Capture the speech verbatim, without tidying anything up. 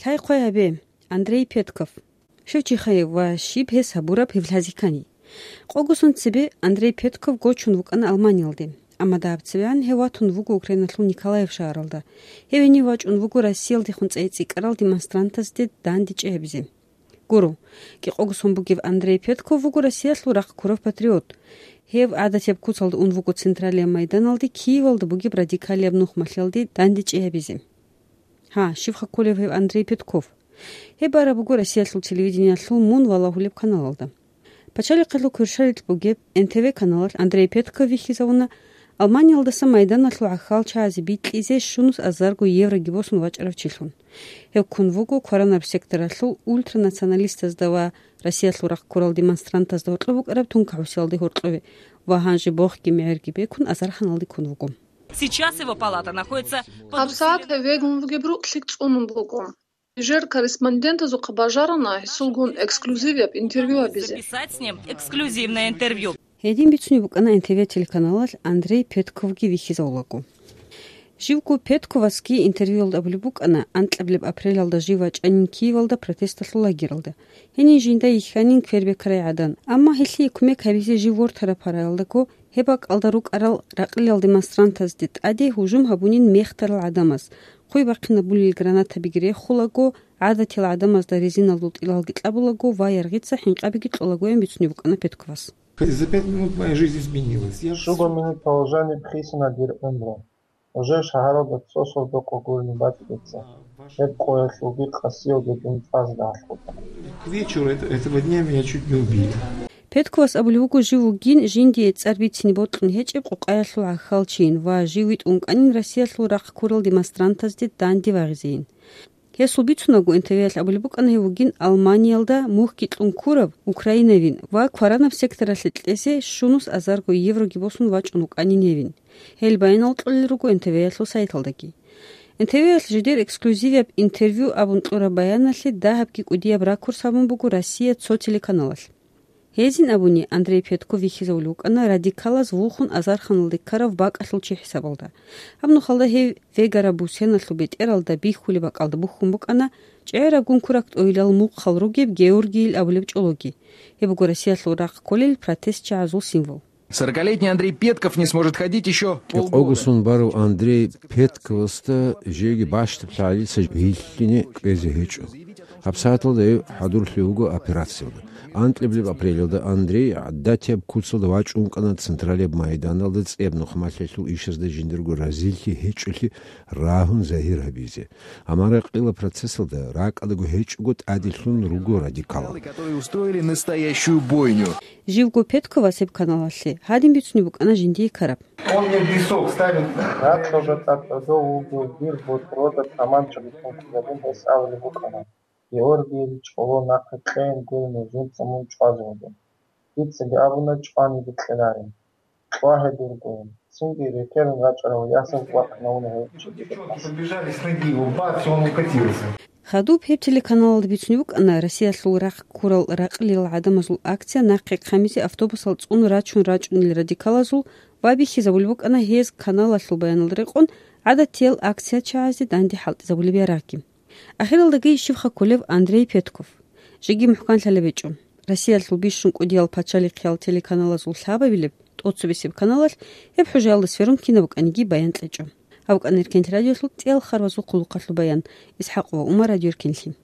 Лъай-хъвай гьабе, Андрей Петков. Щив чихъайив ва щиб гьес гьабураб гьев лъазикани? Къогосон цебе Андрей Петков гочун вукӀана Алманиялде, амма дагьаб цебегӀан гьев ватун вуго Украиналъул Николаев шагьаралда. Гьев гьенив вачӀун вуго Россиялдехун цӀей цӀикӀкӀарал демонстрантазде дандечӀей гьабизе. Гуро, кӀикъого сон бугев Андрей Петков вуго Россиялъул рахъ ккурав патриот. Гьев гӀадатияб куцалда ун вуго Централияб майданалде Киевалда бугеб радикалияб нухмалъиялде дандечӀей гьабизе. Гьа, щибха кколев гьев Андрей Петков? Гьеб бараб буго Россиялъул телевидениялъул «Мун» валагьулеб каналалда. Пачалихъалъул кверщаликь бугеб Н Т В каналалъ Андрей Петков вихьизавуна Алманиялдаса майданалъул гӀахьалчагӀазе бикьизе щунус азарго евроги босун вачӀарав чилъун. Гьев ккун вуго кваранаб секторалъул ультранационалистазда ва Россиялъул рахъ ккурал демонстрантазда гьоркьоб букӀараб тункагӀусиялде гьоркьове ва гьанже бохги мегӀерги бекун азарханалде ккун вуго. Сейчас его палата находится под ГьабсагӀат гьев вегун вугеб рукълъи цӀунун буго. Нижер корреспондентазухъа бажарана гьесулгун эксклюзивияб интервью гьабизе. Записать с ним эксклюзивное интервью. Гьедин бицунеб букӀана Н Т В телеканалалъ Андрей Петковги вихьизавулаго. Живго Петковасги интервьюялда абулеб букӀана анкьабилеб апрелалда жив вачӀанин Киевалда протесталъул лагералда. Гьенин жинда йихьанин квербекарай гӀадан. Амма гьелъие кумек гьабизе жив вортараб гьараялдаго гьеб бакӀалда рукӀарал ракълиял демонстрантазде тӀаде гьужум гьабунин мехтарал гӀадамаз, хъуй бахъинабулел гранатабиги рехулаго, гӀадатиял гӀадамазда резиналдул тӀилалги кьабулаго ва яргъица хӀинкъабиги кьолагоян бицунеб букӀана Петковас. За пять минут моя жизнь изменилась. Я Щуго минут положение бихьисана дир гӀумру. Уже шагьаралда цо сордо къо гурони бачӀиница. Гьеб къоялъулги къасиялги дун цӀазда гьалъула. К вечеру это- этого дня меня чуть не убили. Петковас абулеб буго жив вугин жиндие цӀар бицине бокьун гьечӀеб къукъаялъул гӀахьалчийин ва жив витӀун вукӀанин Россиялъул рахъ ккурал демонстрантазде данде вагъизейин. Гьесул бицунаго Н Т В-ялъ абулеб букӀана гьев вугин Алманиялда мухьги кьун ккурав украинавин ва кваранаб секторалъе кьезе щунус азарго евроги босун вачӀун вукӀанин гьевин. Гьел баянал кьолел руго Н Т В-ялъул сайталдаги. Н Т В-ялъ жидер эксклюзивияб интервью абун кьураб баяналъе дагьабги кӀудияб ракурс гьабун буго Россия цо телеканалалъ. Гьезин абуни, Андрей Петков вихьизавулев вукӀана радикалаз вухун азарханалде ккарав бакӀалъул чи хӀисабалда. Гьаб нухалда гьев вегараб бусеналъул бетӀералда бихьулеб бакӀалда бухьун букӀана чӀегӀерабгун курак тӀойилал мухъал ругеб Георгийил абулеб чӀологи. Гьеб буго Россиялъул рахъ кколел протестчагӀазул символ. Сорокалетний Андрей Петков не сможет ходить ещё полгода. Къогосон барав Андрей Петковасда жеги бащдаб лъагӀалица вилълъине кӀвезе гьечӀо. ГьабсагӀаталда гьев хӀадурлъи вуго операциялда. Анкьабилеб апрелалда Андрей гӀадатияб куцалда вачӀун вукӀана Централияб майданалда цӀияб нухмалъиялъул ишазда жиндирго разилъи гьечӀолъи рагьун загьир гьабизе. Амма ракъила процессалда ракӀадаго гьечӀого тӀаделъун руго радикалал. Которые устроили настоящую бойню. Живго Петковас гьеб каналалъе гьадин бицунеб букӀана жиндие ккараб. Он мне в висок ставит. Рацлъалда тӀад гӀодов вугев дир борхьрода таманча бихьун ккизабун гьес абулеб букӀана: «Георгийил чӀоло нахъе кьейин гурони жинца мун чӀвазе вугев. Дицаги абуна, чӀваниги кьеларин. Кьва гьедургойин». Цинги рекерун рачӀарав ясаз вахъинавуна гьев чиги. Девчонки подбежали с ноги, его бац, и он укатился. Хадуб гьеб телеканалалда бицунеб букӀана Россиялъул рахъ ккурал ракълил гӀадамазул акция нахъе хъамизе автобусал цӀун рачун рачӀунел радикалазул ва бихьизабулеб букӀана гьез каналалъул баянал рекъон гӀадатиял акциячагӀазде данде хӀалтӀизабулеб ярагъги. Ахиралдаги щибха кколев Андрей Петков? Жеги мухӀканлъалеб гьечӀо. Россиялъул бищун кӀудиял пачалихъиял телеканалазул лъабабилеб, тӀоцебесеб каналалъ гьеб хӀужаялда сверун кинаб букӀаниги баян кьечӀо. Гьаб букӀана Эркенлъи радиолъул кӀияб харбазул хъулухъалъул баян. ИсхӀакъова Умар, Радио Эркенлъи.